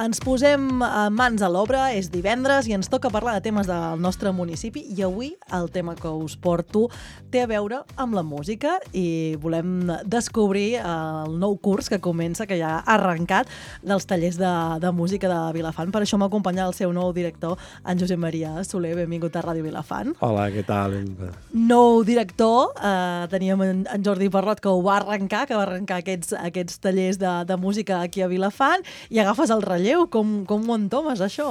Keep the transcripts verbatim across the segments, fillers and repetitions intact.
Ens posem mans a l'obra, és divendres i ens toca parlar de temes del nostre municipi i avui el tema que us porto té a veure amb la música i volem descobrir el nou curs que comença, que ja ha arrencat, dels tallers de, de música de Vilafant. Per això m'acompanya el seu nou director, en Josep Maria Soler. Benvingut a Ràdio Vilafant. Hola, què tal? Nou director, eh, teníem en, en Jordi Parrot que ho va arrencar, que va arrencar aquests, aquests tallers de, de música aquí a Vilafant i agafes el relleu. Com, com ho entomes, això?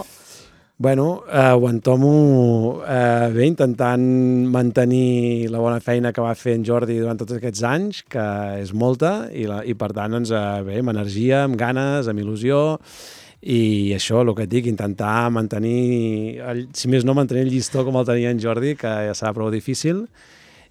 Bueno, eh, ho entomo eh, bé, intentant mantenir la bona feina que va fer en Jordi durant tots aquests anys, que és molta, i, la, i per tant, doncs, eh, bé, amb energia, amb ganes, amb il·lusió, i això, el que et dic, intentar mantenir, el, si més no, mantenir el llistó com el tenia en Jordi, que ja serà prou difícil,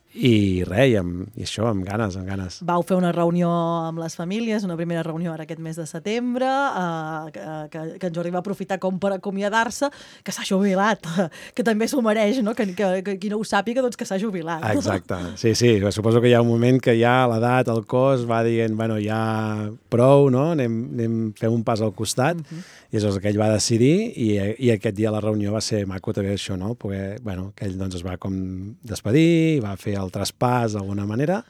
i res, i, amb, i això, amb ganes, amb ganes. Vau fer una reunió amb les famílies, una primera reunió ara aquest mes de setembre, eh, que, que en Jordi va aprofitar com per acomiadar-se, que s'ha jubilat, que també s'ho mereix, no? Que, que, que qui no ho sàpiga, doncs que s'ha jubilat. Exacte, sí, sí, suposo que hi ha un moment que ja l'edat, el cos, va dient, bueno, ja prou, no? Anem, anem fem un pas al costat, uh-huh. I és el que ell va decidir, i, i aquest dia la reunió va ser maco també això, no? Perquè, bueno, que ell doncs es va com despedir, va fer el traspàs d'alguna manera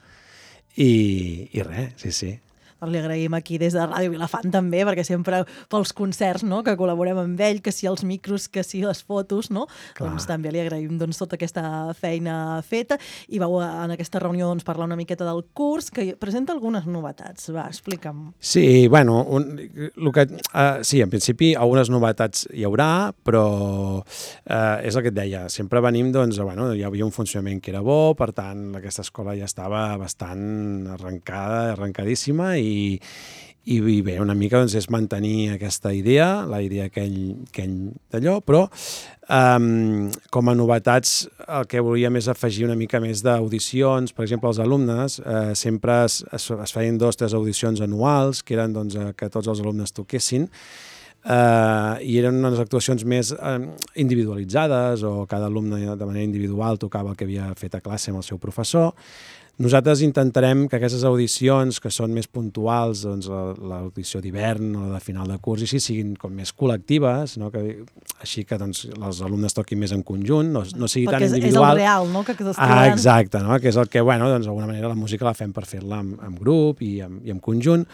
i, i res, sí, sí. Li agraïm aquí des de Ràdio Vilafant també, perquè sempre pels concerts, no?, que col·laborem amb ell, que si els micros, que si les fotos, no? Clar. Doncs també li agraïm doncs, tota aquesta feina feta i vau en aquesta reunió doncs, parlar una miqueta del curs, que presenta algunes novetats. Va, explica'm. Sí, bueno, un, el que, uh, sí, en principi algunes novetats hi haurà, però uh, és el que et deia, sempre venim, doncs, bueno, hi havia un funcionament que era bo, per tant, aquesta escola ja estava bastant arrencada, arrencadíssima, i I, i bé, una mica doncs, és mantenir aquesta idea, la idea que ell, que ell d'allò, però um, com a novetats el que volíem és afegir una mica més d'audicions. Per exemple, els alumnes eh, sempre es, es, es feien dos o tres audicions anuals, que eren doncs, que tots els alumnes toquessin, Uh, i eren unes actuacions més uh, individualitzades, o cada alumne de manera individual tocava el que havia fet a classe amb el seu professor. Nosaltres intentarem que aquestes audicions, que són més puntuals, doncs l'audició d'hivern o la de final de curs, i així siguin com més col·lectives, no? Que, així que doncs, els alumnes toquin més en conjunt, no, no sigui perquè tan individual. Perquè és el real, no?, que t'estàs ah, exacte, no? Que és el que, bueno, doncs, d'alguna manera la música la fem per fer-la amb, amb grup i amb, i amb conjunt.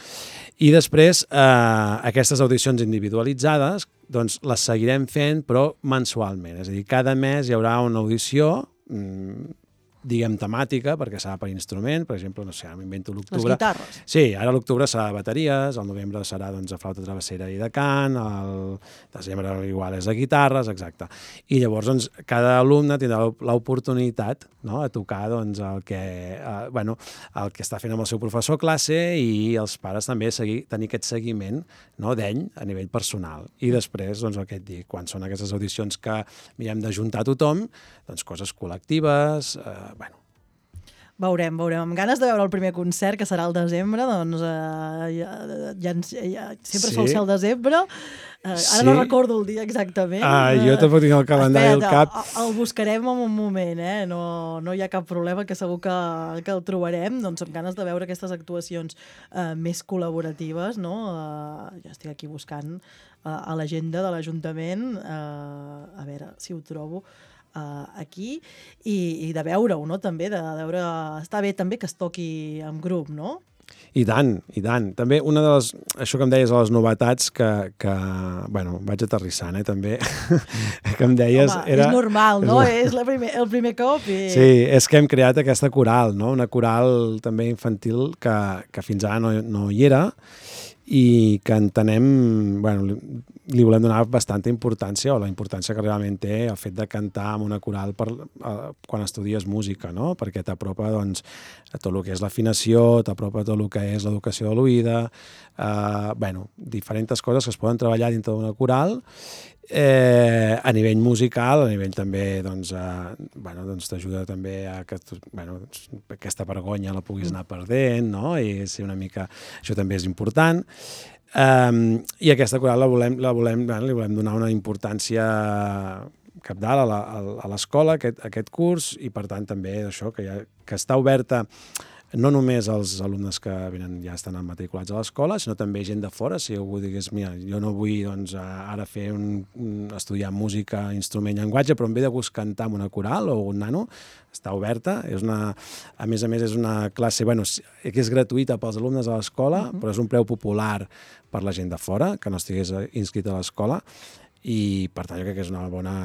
I després, eh, aquestes audicions individualitzades, doncs les seguirem fent, però mensualment. És a dir, cada mes hi haurà una audició, mmm, diguem temàtica, perquè serà per instrument, per exemple, no sé, m'invento l'octubre. Les guitarres. Sí, ara l'octubre serà de bateries, el novembre serà doncs, de flauta travessera i de cant, el desembre igual és de guitarres, exacte. I llavors, doncs, cada alumne tindrà l'oportunitat, no?, a tocar doncs, el, que, eh, bueno, el que està fent amb el seu professor a classe, i els pares també seguir, tenir aquest seguiment, no?, d'ell a nivell personal. I després, doncs, el que et dic, quan són aquestes audicions que mirem d'ajuntar tothom, doncs coses col·lectives, eh, bueno. Veurem, veurem. Amb ganes de veure el primer concert, que serà al desembre, doncs eh, ja, ja, ja, sempre sí. Sol ser al desembre. Eh, ara sí. No recordo el dia exactament. Ah, jo tampoc tinc el calendari al cap. El buscarem en un moment, eh? No, no hi ha cap problema, que segur que, que el trobarem. Doncs amb ganes de veure aquestes actuacions eh, més col·laboratives, no? Eh, ja estic aquí buscant eh, a l'agenda de l'Ajuntament, eh, a veure si ho trobo, Uh, aquí, i, i de veure-ho, no?, també, de, de veure... Està bé també que es toqui en grup, no? I tant, i tant. També una de les... Això que em deies, de les novetats que... que bueno, vaig aterrissant, eh, també, que em deies... Home, era, és normal, no? És, és la primer, el primer cop i... Sí, és que hem creat aquesta coral, no? Una coral també infantil que, que fins ara no, no hi era, i que entenem, bueno, li, li volem donar bastanta importància, o la importància que realment té el fet de cantar amb una coral per, uh, quan estudies música, no? Perquè t'apropa, doncs, a tot el que és l'afinació, t'apropa tot el que és l'educació de l'oïda, uh, bueno, diferents coses que es poden treballar dintre d'una coral, eh, a nivell musical, a nivell també, doncs, eh, bueno, doncs t'ajuda també a que, bueno, aquesta vergonya la puguis anar perdent, no? I ser una mica... Això també és important. Um, I aquesta coral la volem, la volem, bueno, li volem donar una importància cabdal a l'escola, aquest, aquest curs, i per tant també això, que, ja, que està oberta no només els alumnes que venen ja estan matriculats a l'escola, sinó també gent de fora. Si algú digués, mira, jo no vull doncs, ara fer un, un, estudiar música, instrument, llenguatge, però em ve de gust cantar amb una coral o un nano, està oberta. És una, a més a més, és una classe bueno, que és gratuïta pels alumnes a l'escola, uh-huh. però és un preu popular per la gent de fora, que no estigués inscrita a l'escola, i per tant jo crec que és una bona...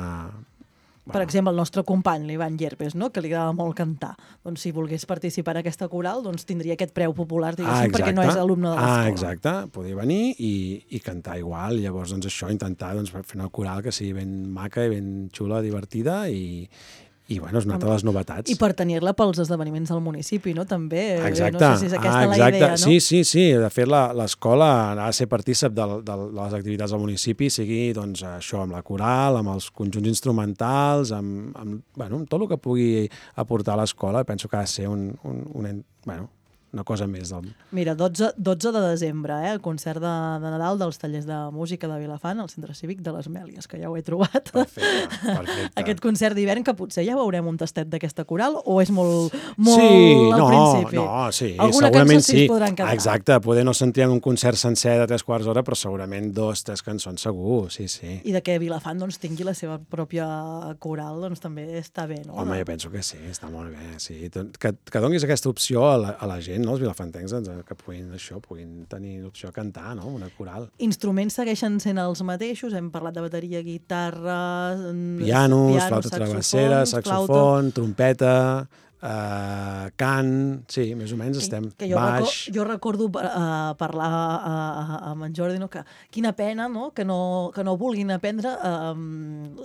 Per bueno. exemple, el nostre company, l'Ivan Llerpes, no? que li agrada molt cantar, doncs si volgués participar en aquesta coral, doncs tindria aquest preu popular, diguéssim, ah, perquè no és alumne de l'escola. Ah, exacte, podria venir i, i cantar igual, llavors doncs això, intentar doncs, fer una coral que sigui ben maca i ben xula, divertida i... I, bueno, és una altra de les novetats. I per tenir-la pels esdeveniments del municipi, no? També. Exacte. No sé si és aquesta ah, exacte. la idea, no? Sí, sí, sí. De fet, l'escola ha de ser partícip de, de, de les activitats del municipi, sigui doncs, això, amb la coral, amb els conjunts instrumentals, amb, amb, bueno, amb tot el que pugui aportar a l'escola. Penso que ha de ser un, un, un, bueno, una cosa més. Del... Mira, dotze de desembre, eh, el concert de, de Nadal dels tallers de música de Vilafant, al Centre Cívic de les Mèlies, que ja ho he trobat. Perfecte, perfecte. Aquest concert d'hivern, que potser ja veurem un tastet d'aquesta coral, o és molt, molt sí, al no, principi? No, sí, alguna segurament cançó sí es podran cantar. Exacte, poder no sentirem un concert sencer de tres quarts d'hora, però segurament dos, tres cançons segur, sí, sí. I de que Vilafant doncs, tingui la seva pròpia coral, doncs també està bé, no? Home, jo penso que sí, està molt bé, sí. Que, que donis aquesta opció a la, a la gent, no? Els vilafantencs, que puguin, això, puguin tenir l'opció a cantar, no? Una coral. Instruments segueixen sent els mateixos, hem parlat de bateria, guitarra... Pianos, piano, flauta travessera, saxofon, trompeta, uh, cant... Sí, més o menys estem... Que jo, baix... Record, jo recordo uh, parlar uh, amb en Jordi, no? Que quina pena, no? Que, no, que no vulguin aprendre uh,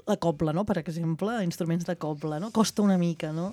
la cobla, no? Per exemple, instruments de cobla, no? Costa una mica, no?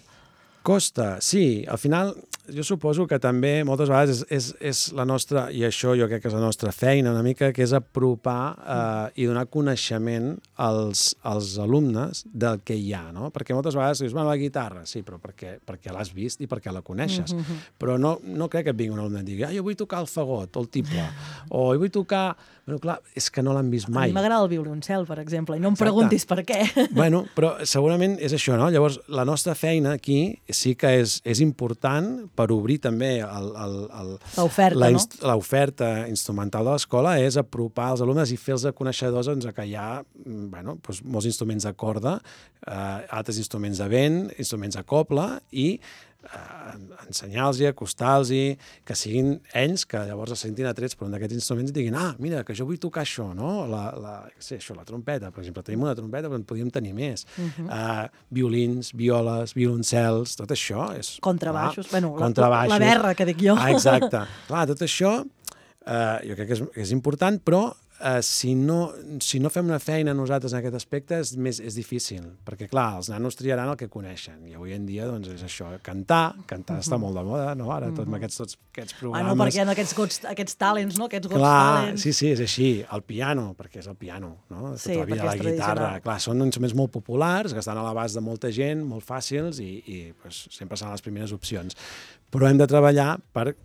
Costa, sí. Al final, jo suposo que també moltes vegades és, és, és la nostra, i això jo crec que és la nostra feina una mica, que és apropar eh, i donar coneixement als, als alumnes del que hi ha, no? Perquè moltes vegades dius, bueno, la guitarra, sí, però perquè, perquè l'has vist i perquè la coneixes. Mm-hmm. Però no, no crec que et vingui un alumne i et digui, ah, jo vull tocar el fagot o el tible, o jo vull tocar... Bueno, clar, és que no l'han vist mai. A mi m'agrada el violoncel, per exemple, i no em Exacte. preguntis per què. Bueno, però segurament és això, no? Llavors, la nostra feina aquí sí que és, és important per obrir també l'oferta inst no? L'oferta instrumental de l'escola, és apropar els alumnes i fer-los coneixedors doncs, que hi ha bueno, doncs, molts instruments de corda, eh, altres instruments de vent, instruments de cobla i Uh, ensenyar-los, acostar-los, que siguin ells que llavors es sentin atrets per un d'aquests instruments i diguin, ah, mira, que jo vull tocar això, no? La, la, sí, això, la trompeta, per exemple, tenim una trompeta, però en podríem tenir més. Uh-huh. uh, violins, violes, violoncels, tot això és... Contrabaixos, clar, bueno, contrabaixos. La, la berra, que dic jo. Ah, exacte. Clar, tot això uh, jo crec que és, que és important, però Uh, si, no, si no fem una feina nosaltres en aquest aspecte és, més, és difícil, perquè clar, els nanos triaran el que coneixen i avui en dia doncs, és això, cantar, cantar uh -huh. està molt de moda, no? Ara tot amb aquests, tots aquests programes... Ah, no, perquè hi ha aquests, gots, aquests talents, no? Aquests gots clar, talents. Sí, sí, és així. El piano, perquè és el piano, no? Sí, tota la vida, la guitarra, clar, són instruments molt populars, que estan a l'abast de molta gent, molt fàcils i, i pues, sempre seran les primeres opcions. Però hem de treballar per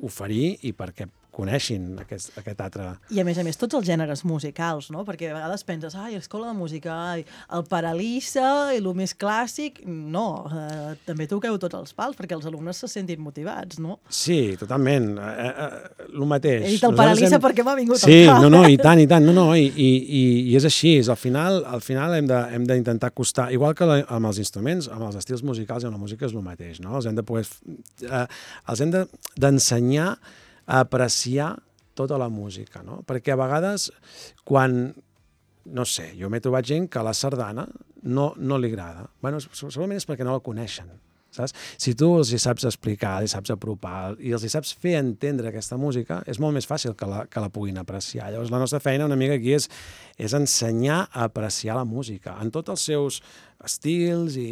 oferir i perquè coneixin aquest, aquest altre... I a més a més tots els gèneres musicals, no? Perquè a vegades penses, ai, escola de música, ai, el Paralissa i el més clàssic... No, eh, també toqueu tots els pals perquè els alumnes se sentin motivats, no? Sí, totalment. Eh, eh, el mateix. He dit el Paralissa hem... perquè m'ha vingut sí, al cap. Sí, no, no, i tant, i tant. No, no, i, i, i és així. Al final, al final hem de, hem d'intentar acostar... Igual que la, amb els instruments, amb els estils musicals i amb la música és el mateix, no? Els hem de poder... Eh, els hem de, d'ensenyar a apreciar tota la música, no? Perquè a vegades, quan, no sé, jo m'he trobat gent que a la sardana no, no li agrada. Bueno, segurament és perquè no la coneixen, saps? Si tu els hi saps explicar, els hi saps apropar i els hi saps fer entendre aquesta música, és molt més fàcil que la, que la puguin apreciar. Llavors, la nostra feina una mica aquí és, és ensenyar a apreciar la música en tots els seus estils i,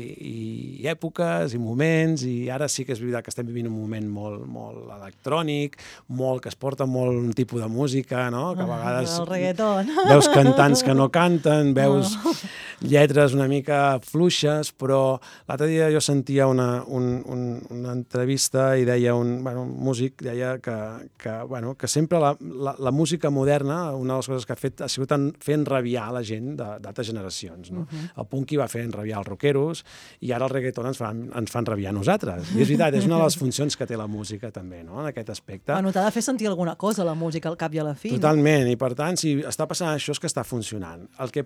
i èpoques i moments, i ara sí que és veritat que estem vivint un moment molt, molt electrònic, molt, que es porta molt un tipus de música, no? Que a vegades el reggaeton. Veus cantants que no canten, veus oh. lletres una mica fluixes, però l'altre dia jo sentia una, un, un, una entrevista i deia un, bueno, un músic deia que, que, bueno, que sempre la, la, la música moderna, una de les coses que ha fet ha sigut fent rabiar la gent d'altres generacions, no? Uh-huh. El punk hi va fer rabiar els rockeros, i ara el reggaeton ens fan, ens fan rabiar a nosaltres. I és veritat, és una de les funcions que té la música també, no?, en aquest aspecte. Bueno, t'ha de fer sentir alguna cosa la música al cap i a la fi. Totalment, no? I per tant, si està passant això és que està funcionant. El que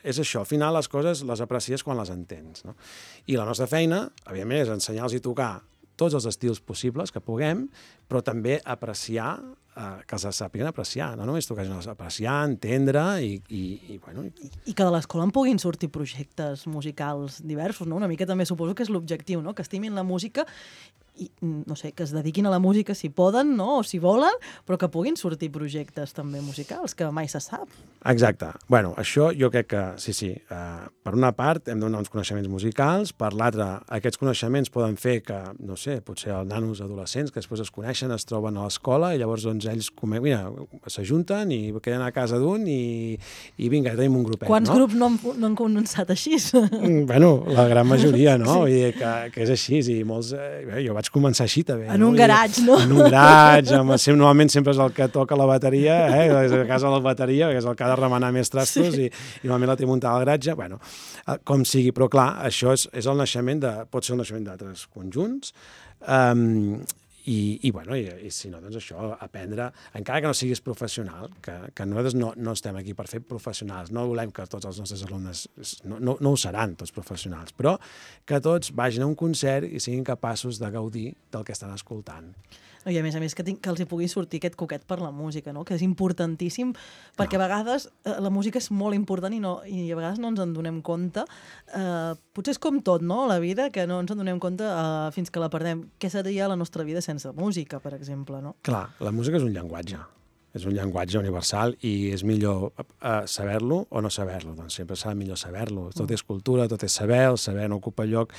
és això, al final les coses les aprecies quan les entens, no? I la nostra feina, evidentment, és ensenyar-los i tocar tots els estils possibles que puguem, però també apreciar, eh, que els sàpiguen apreciar, no només tocar, sinó apreciar, entendre i, i, i bueno... I, I que de l'escola en puguin sortir projectes musicals diversos, no? Una mica també suposo que és l'objectiu, no? Que estimin la música i, no sé, que es dediquin a la música si poden, no?, o si volen, però que puguin sortir projectes també musicals, que mai se sap. Exacte. Bueno, això jo crec que, sí, sí, eh, per una part hem de donar uns coneixements musicals, per l'altra, aquests coneixements poden fer que, no sé, potser els nanos adolescents que després es coneixen, es troben a l'escola i llavors doncs ells mira, s'ajunten i queden a casa d'un i, i vinga, tenim un grupet, Quants no? grups no han, no han començat així? Bueno, la gran majoria, no? Sí. Vull dir que, que és així, i molts... Eh, jo vaig començar així també. En no? un garatge, no? En un garatge, amb, normalment sempre és el que toca la bateria, eh? És a casa la bateria, que és el que ha de remenar més trastos, sí. i, i normalment la té muntada al garatge, bueno, com sigui, però clar, això és, és el naixement de, pot ser el naixement d'altres conjunts, um, i, i, bueno, i, i si no, doncs això, aprendre, encara que no siguis professional, que, que nosaltres no, no estem aquí per fer professionals, no volem que tots els nostres alumnes, no, no, no ho seran tots professionals, però que tots vagin a un concert i siguin capaços de gaudir del que estan escoltant. I a més a més que, tinc, que els hi pugui sortir aquest coquet per la música, no? Que és importantíssim, perquè no. a vegades eh, la música és molt important i, no, i a vegades no ens en donem compte. Eh, potser és com tot, no?, la vida, que no ens en donem compte eh, fins que la perdem. Què seria la nostra vida sense música, per exemple, no? Clar, la música és un llenguatge. És un llenguatge universal i és millor eh, saber-lo o no saber-lo. Doncs sempre serà millor saber-lo. Tot és cultura, tot és saber, el saber no ocupa lloc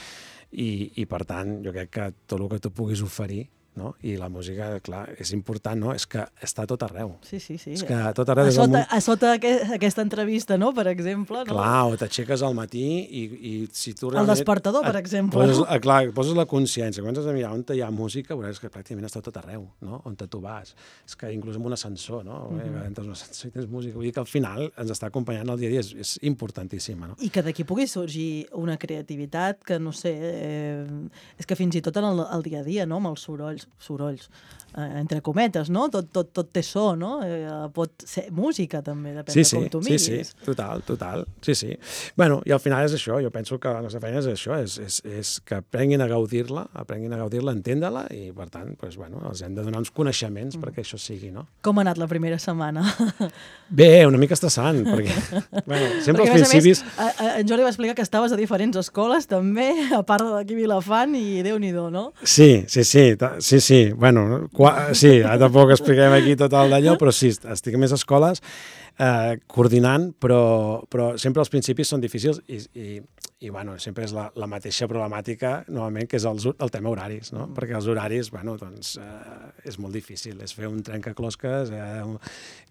i, i per tant, jo crec que tot el que tu puguis oferir, no? I la música, clar, és important, no? És que està a tot arreu. Sí, sí, sí. És que a tot arreu... A sota, a sota aquest, aquesta entrevista, no?, per exemple. No? Clar, o t'aixeques al matí i, i si tu realment... El despertador, per exemple. Poses, no? Clar, poses la consciència. Quan has de mirar on hi ha música, veuràs que pràcticament està tot arreu, no? On tu vas. És que inclús amb un ascensor, no? Mm-hmm. Entres un ascensor i tens música. Vull dir que al final ens està acompanyant el dia a dia. És, és importantíssima, no? I que d'aquí pugui sorgir una creativitat que, no sé, eh, és que fins i tot en el, el dia a dia, no?, amb els sorolls, sorolls, eh, entre cometes, no? Tot, tot, tot té so, no? Eh, pot ser música, també, depèn sí, de com sí, tu miris. Sí, sí, total, total. Sí, sí. Bueno, i al final és això. Jo penso que la nostra feina és això, és, és, és que aprenguin a gaudir-la, aprenguin a gaudir-la, entendre-la, i, per tant, pues, bueno, els hem de donar uns coneixements mm. perquè això sigui, no? Com ha anat la primera setmana? Bé, una mica estressant, perquè, bueno, sempre perquè, als principis... Més, a, a, en Jordi va explicar que estaves a diferents escoles, també, a part d'aquí Vilafant, i Déu-n'hi-do, no? Sí, sí, sí, sí, sí. Bueno, qua, sí, ara tampoc expliquem aquí tot el d'allò, però sí, estic a més escoles eh, coordinant, però, però sempre els principis són difícils i, i, i bueno, sempre és la, la mateixa problemàtica, novament, que és el, el tema horaris, no? Mm. Perquè els horaris, bueno, doncs, eh, és molt difícil, és fer un trencaclosques eh,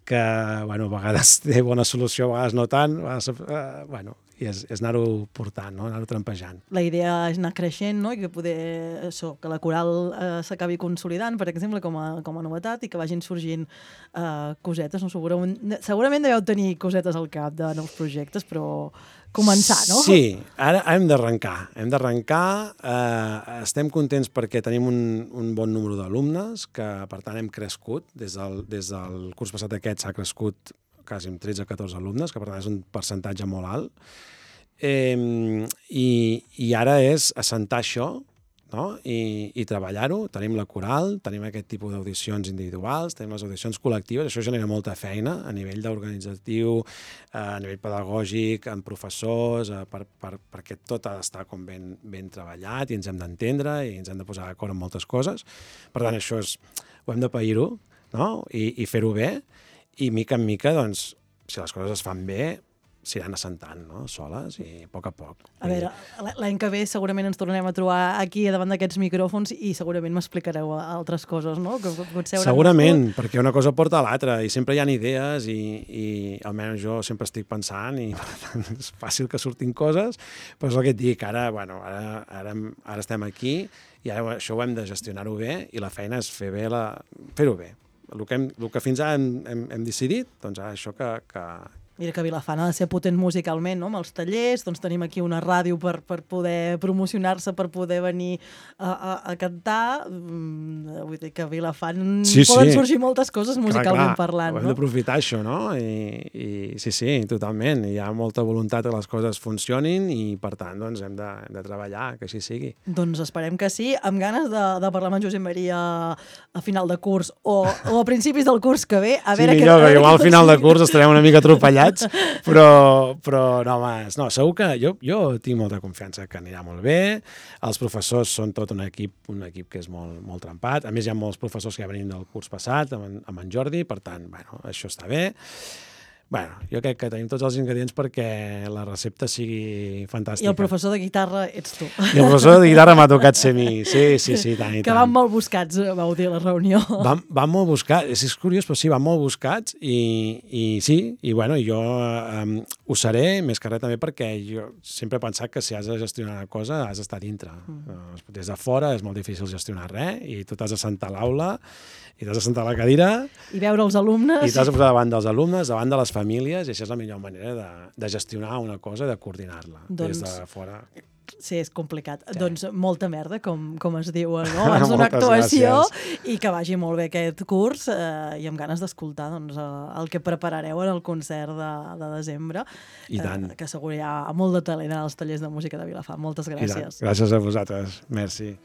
que, bueno, a vegades té bona solució, a vegades no tant, a vegades, eh, bueno, i és, és anar-ho portant, no? Anar-ho trampejant. La idea és anar creixent, no?, i que poder, això, que la coral eh, s'acabi consolidant, per exemple, com a, com a novetat, i que vagin sorgint eh, cosetes, no? Segurament, segurament deveu tenir cosetes al cap de nous projectes, però començar, no? Sí, ara hem d'arrencar, hem d'arrencar, eh, estem contents perquè tenim un, un bon número d'alumnes, que per tant hem crescut, des del, des del curs passat aquest s'ha crescut quasi amb tretze o catorze alumnes, que per tant és un percentatge molt alt, eh, i, i ara és assentar això, no? I, i treballar-ho. Tenim la coral, tenim aquest tipus d'audicions individuals, tenim les audicions col·lectives, això genera molta feina a nivell d'organitzatiu, a nivell pedagògic, amb professors, per, per, perquè tot ha d'estar com ben, ben treballat i ens hem d'entendre i ens hem de posar d'acord en moltes coses. Per tant, això és, ho hem de pair-ho, no? I, i fer-ho bé, i mica en mica, doncs, si les coses es fan bé, s'iran assentant, no?, soles, i a poc a poc. A veure, l'any que ve segurament ens tornarem a trobar aquí davant d'aquests micròfons i segurament m'explicareu altres coses, no? Que potser segurament, nascut. Perquè una cosa porta a l'altra i sempre hi ha idees i, i almenys jo sempre estic pensant i per tant és fàcil que surtin coses, però és el que et dic, ara, bueno, ara, ara, ara estem aquí i ara això ho hem de gestionar-ho bé i la feina és fer bé la... fer-ho bé. El que, hem, el que fins ara hem, hem, hem decidit, doncs ara això que, que, Mira que Vilafant ha de ser potent musicalment, no? Amb els tallers, doncs tenim aquí una ràdio per, per poder promocionar-se, per poder venir a, a, a cantar. Mm, vull dir que a Vilafant sí, poden sí. sorgir moltes coses musicalment clar, clar, parlant. Hem no? d'aprofitar això, no? I, I sí, sí, totalment. Hi ha molta voluntat que les coses funcionin i, per tant, doncs, hem de, hem de treballar, que així sigui. Doncs esperem que sí, amb ganes de, de parlar amb en Josep Maria a final de curs o, o a principis del curs que ve. A sí, veure millor, que, perquè igual al final de curs estarem una mica atropellats, però, però no, home, no, segur que jo, jo tinc molta confiança que anirà molt bé. Els professors són tot un equip, un equip que és molt, molt trempat. A més, hi ha molts professors que ja venim del curs passat amb en, amb en Jordi, per tant, bueno, això està bé. Bueno, jo crec que tenim tots els ingredients perquè la recepta sigui fantàstica. I el professor de guitarra ets tu. I el professor de guitarra m'ha tocat ser mi. Sí, sí, sí, tant i que tant. van molt buscats, vau dir a la reunió. Van, van molt buscats, és, és curiós, però sí, van molt buscats i, i sí, i bueno, jo um, ho seré, més que res també perquè jo sempre he pensat que si has de gestionar una cosa has d'estar dintre. Mm. Des de fora és molt difícil gestionar res i tu t'has de sentar a l'aula i t'has de sentar a la cadira i veure els alumnes i t'has de posar davant dels alumnes, davant de les famílies, i això és la millor manera de, de gestionar una cosa, de coordinar-la doncs, des de fora. Sí, és complicat. Sí. Doncs molta merda, com, com es diu, no? Abans d'una actuació gràcies. I que vagi molt bé aquest curs eh, i amb ganes d'escoltar doncs, el que preparareu en el concert de, de desembre. I tant. Eh, que segur hi ha molt de talent als tallers de música de Vilafant. Moltes gràcies. Gràcies a vosaltres. Merci.